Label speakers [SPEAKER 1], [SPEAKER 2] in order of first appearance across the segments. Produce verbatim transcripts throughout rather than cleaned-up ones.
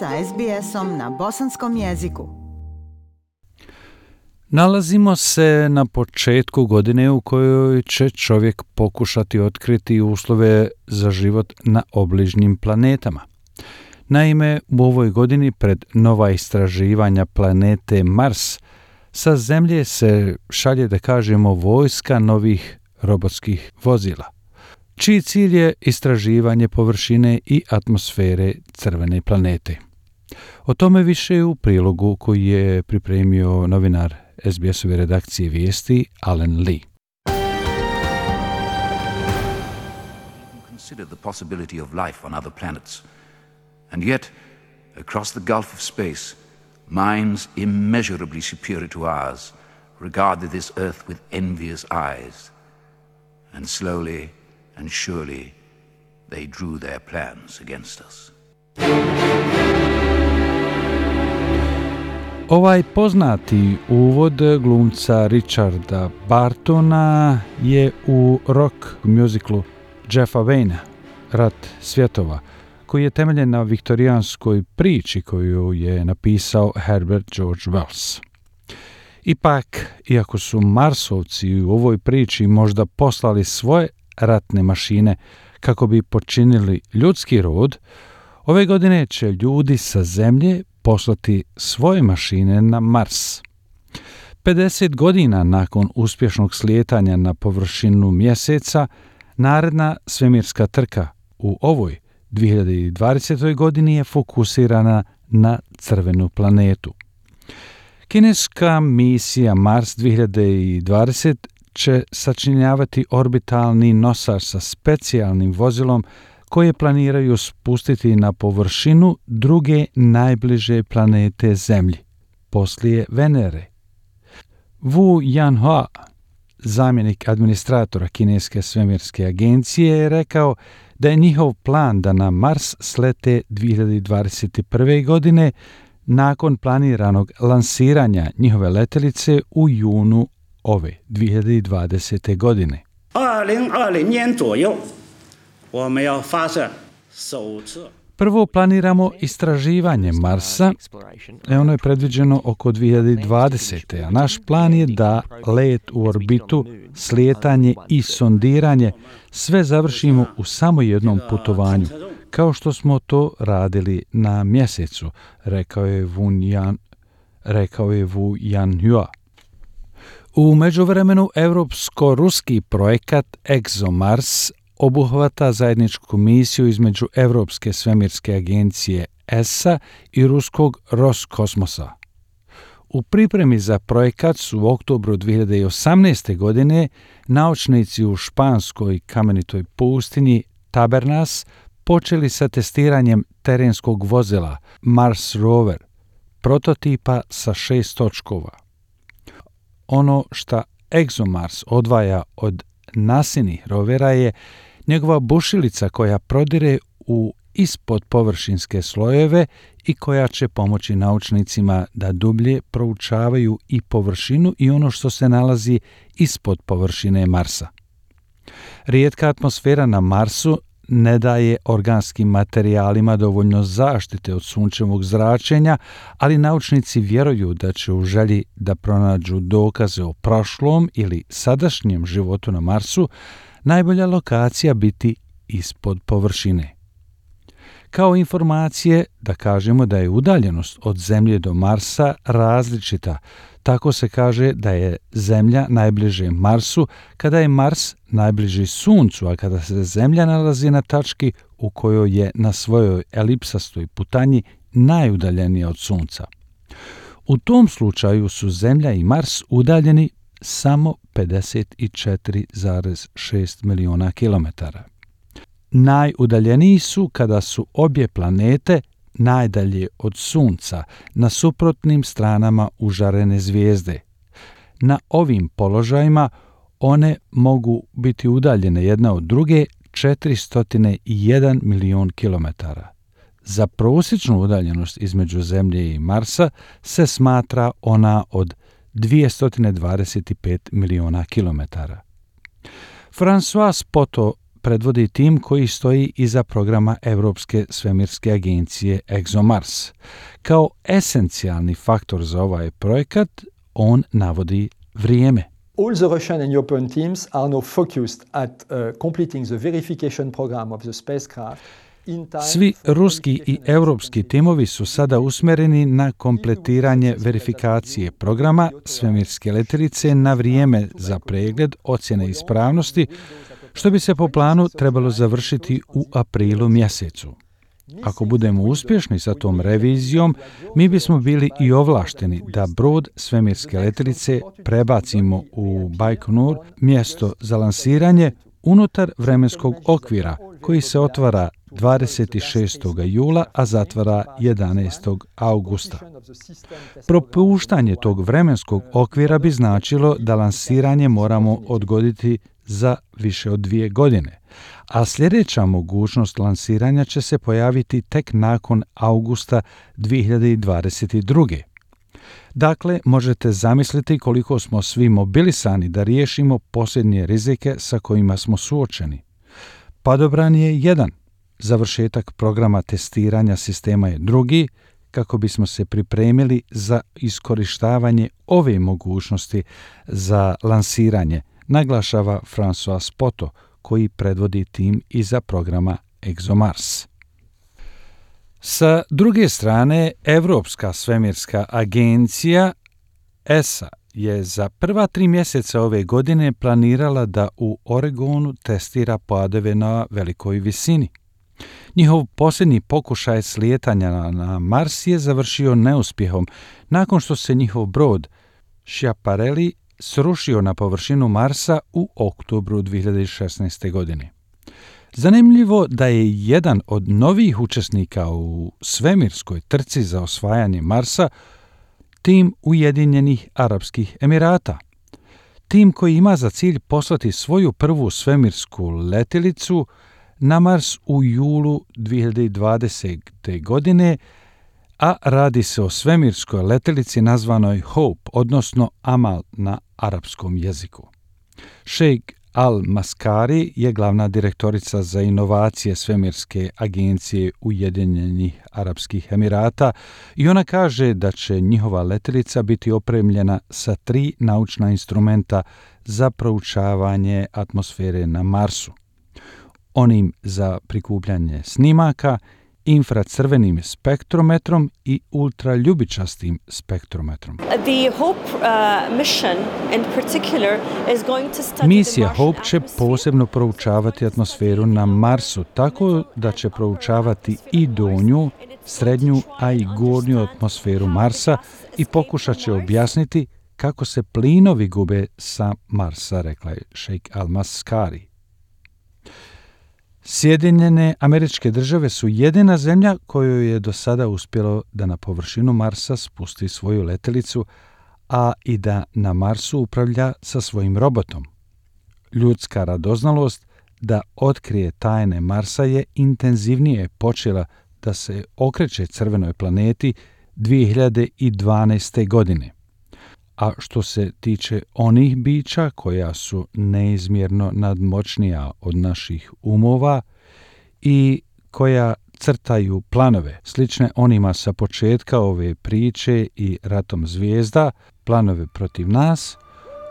[SPEAKER 1] sa es be esom na bosanskom jeziku.
[SPEAKER 2] Nalazimo se na početku godine u kojoj će čovjek pokušati otkriti uslove za život na obližnjim planetama. Naime, u ovoj godini pred nova istraživanja planete Mars sa Zemlje se šalje, da kažemo, vojska novih robotskih vozila, čiji cilj je istraživanje površine i atmosfere crvene planete. O tome više u prilogu koji je pripremio novinar es be esove redakcije vijesti Alan Lee.
[SPEAKER 3] Consider the possibility of life on other planets. And yet, across the gulf of space, minds immeasurably superior to ours regarded this earth with envious eyes. And slowly and surely they drew their plans against us.
[SPEAKER 2] Ovaj poznati uvod glumca Richarda Bartona je u rock muziklu Jeffa Wayne, Rat svjetova, koji je temeljen na viktorijanskoj priči koju je napisao Herbert George Wells. Ipak, iako su Marsovci u ovoj priči možda poslali svoje ratne mašine kako bi počinili ljudski rod, ove godine će ljudi sa Zemlje poslati svoje mašine na Mars. pedeset godina nakon uspješnog slijetanja na površinu mjeseca, naredna svemirska trka u ovoj dvije hiljade dvadesetoj. godini je fokusirana na crvenu planetu. Kineska misija Mars dvije hiljade dvadesete. će sačinjavati orbitalni nosač sa specijalnim vozilom koje planiraju spustiti na površinu druge najbliže planete Zemlji, poslije Venere. Wu Yanhua, zamjenik administratora Kineske svemirske agencije, je rekao da je njihov plan da na Mars slete dvije hiljade dvadeset prve. godine nakon planiranog lansiranja njihove letjelice u junu ove dvije hiljade dvadesete. godine. Prvo planiramo istraživanje Marsa, e ono je predviđeno oko dvije hiljade dvadesete. a naš plan je da let u orbitu, slijetanje i sondiranje sve završimo u samo jednom putovanju, kao što smo to radili na mjesecu, rekao je Wu Yan, rekao je Wu Yanhua. U međuvremenu evropsko-ruski projekat ExoMars obuhvata zajedničku misiju između Europske svemirske agencije E S A i ruskog Roskosmosa. U pripremi za projekat su u oktobru dvije hiljade osamnaeste. godine naučnici u španskoj kamenitoj pustinji Tabernas počeli sa testiranjem terenskog vozila Mars Rover, prototipa sa šest točkova. Ono što ExoMars odvaja od nasinih rovera je njegova bušilica koja prodire u ispod površinske slojeve i koja će pomoći naučnicima da dublje proučavaju i površinu i ono što se nalazi ispod površine Marsa. Rijetka atmosfera na Marsu ne daje organskim materijalima dovoljno zaštite od sunčevog zračenja, ali naučnici vjeruju da će u želji da pronađu dokaze o prošlom ili sadašnjem životu na Marsu najbolja lokacija biti ispod površine. Kao informacije da kažemo da je udaljenost od Zemlje do Marsa različita. Tako se kaže da je Zemlja najbliže Marsu kada je Mars najbliži Suncu, a kada se Zemlja nalazi na tački u kojoj je na svojoj elipsastoj putanji najudaljenija od Sunca. U tom slučaju su Zemlja i Mars udaljeni samo pedeset četiri zarez šest miliona kilometara. Najudaljeniji su kada su obje planete najdalje od Sunca, na suprotnim stranama užarene zvijezde. Na ovim položajima one mogu biti udaljene jedna od druge četiristo jedan milion kilometara. Za prosječnu udaljenost između Zemlje i Marsa se smatra ona od dvjesto dvadeset pet miliona kilometara. François Poto, predvodi tim koji stoji iza programa Europske svemirske agencije ExoMars. Kao esencijalni faktor za ovaj projekat on navodi vrijeme.
[SPEAKER 4] All the Russian and European teams are now focused at uh, completing the verification program of the spacecraft.
[SPEAKER 2] Svi ruski i europski timovi su sada usmjereni na kompletiranje verifikacije programa svemirske letjelice na vrijeme za pregled ocjene ispravnosti, što bi se po planu trebalo završiti u aprilu mjesecu. Ako budemo uspješni sa tom revizijom, mi bismo bili i ovlašteni da brod svemirske letjelice prebacimo u Bajkonur, mjesto za lansiranje, unutar vremenskog okvira koji se otvara dvadeset šestog jula, a zatvara jedanaestog augusta. Propuštanje tog vremenskog okvira bi značilo da lansiranje moramo odgoditi za više od dvije godine, a sljedeća mogućnost lansiranja će se pojaviti tek nakon augusta dvije hiljade dvadeset druge. Dakle, možete zamisliti koliko smo svi mobilisani da riješimo posljednje rizike sa kojima smo suočeni. Padobran je jedan, završetak programa testiranja sistema je drugi, kako bismo se pripremili za iskorištavanje ove mogućnosti za lansiranje, naglašava François Spoto, koji predvodi tim iza programa ExoMars. Sa druge strane, Europska svemirska agencija E S A je za prva tri mjeseca ove godine planirala da u Oregonu testira padove na velikoj visini. Njihov posljednji pokušaj slijetanja na Mars je završio neuspjehom nakon što se njihov brod Schiaparelli srušio na površinu Marsa u oktobru dvije hiljade šesnaeste. godine. Zanimljivo da je jedan od novih učesnika u svemirskoj trci za osvajanje Marsa tim Ujedinjenih Arapskih Emirata. Tim koji ima za cilj poslati svoju prvu svemirsku letjelicu na Mars u julu dvije hiljade dvadesete. godine, a radi se o svemirskoj letjelici nazvanoj Hope, odnosno Amal na arapskom jeziku. Sheikh Al-Maskari je glavna direktorica za inovacije svemirske agencije Ujedinjenih Arapskih Emirata i ona kaže da će njihova letjelica biti opremljena sa tri naučna instrumenta za proučavanje atmosfere na Marsu. Onim za prikupljanje snimaka, infracrvenim spektrometrom i ultraljubičastim spektrometrom. Misija Hope će posebno proučavati atmosferu na Marsu, tako da će proučavati i donju, srednju, a i gornju atmosferu Marsa i pokušat će objasniti kako se plinovi gube sa Marsa, rekla je Sheikh Al-Maskari. Sjedinjene Američke Države su jedina zemlja kojoj je do sada uspjelo da na površinu Marsa spusti svoju letjelicu, a i da na Marsu upravlja sa svojim robotom. Ljudska radoznalost da otkrije tajne Marsa je intenzivnije počela da se okreće crvenoj planeti dvije hiljade dvanaeste. godine. A što se tiče onih bića koja su neizmjerno nadmoćnija od naših umova i koja crtaju planove, slične onima sa početka ove priče i ratom zvijezda, planove protiv nas,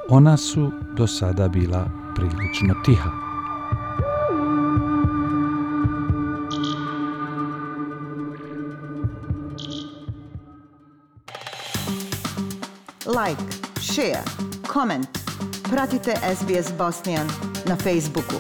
[SPEAKER 2] ona su do sada bila prilično tiha.
[SPEAKER 1] Like, share, comment. Pratite S B S Bosnian na Facebooku.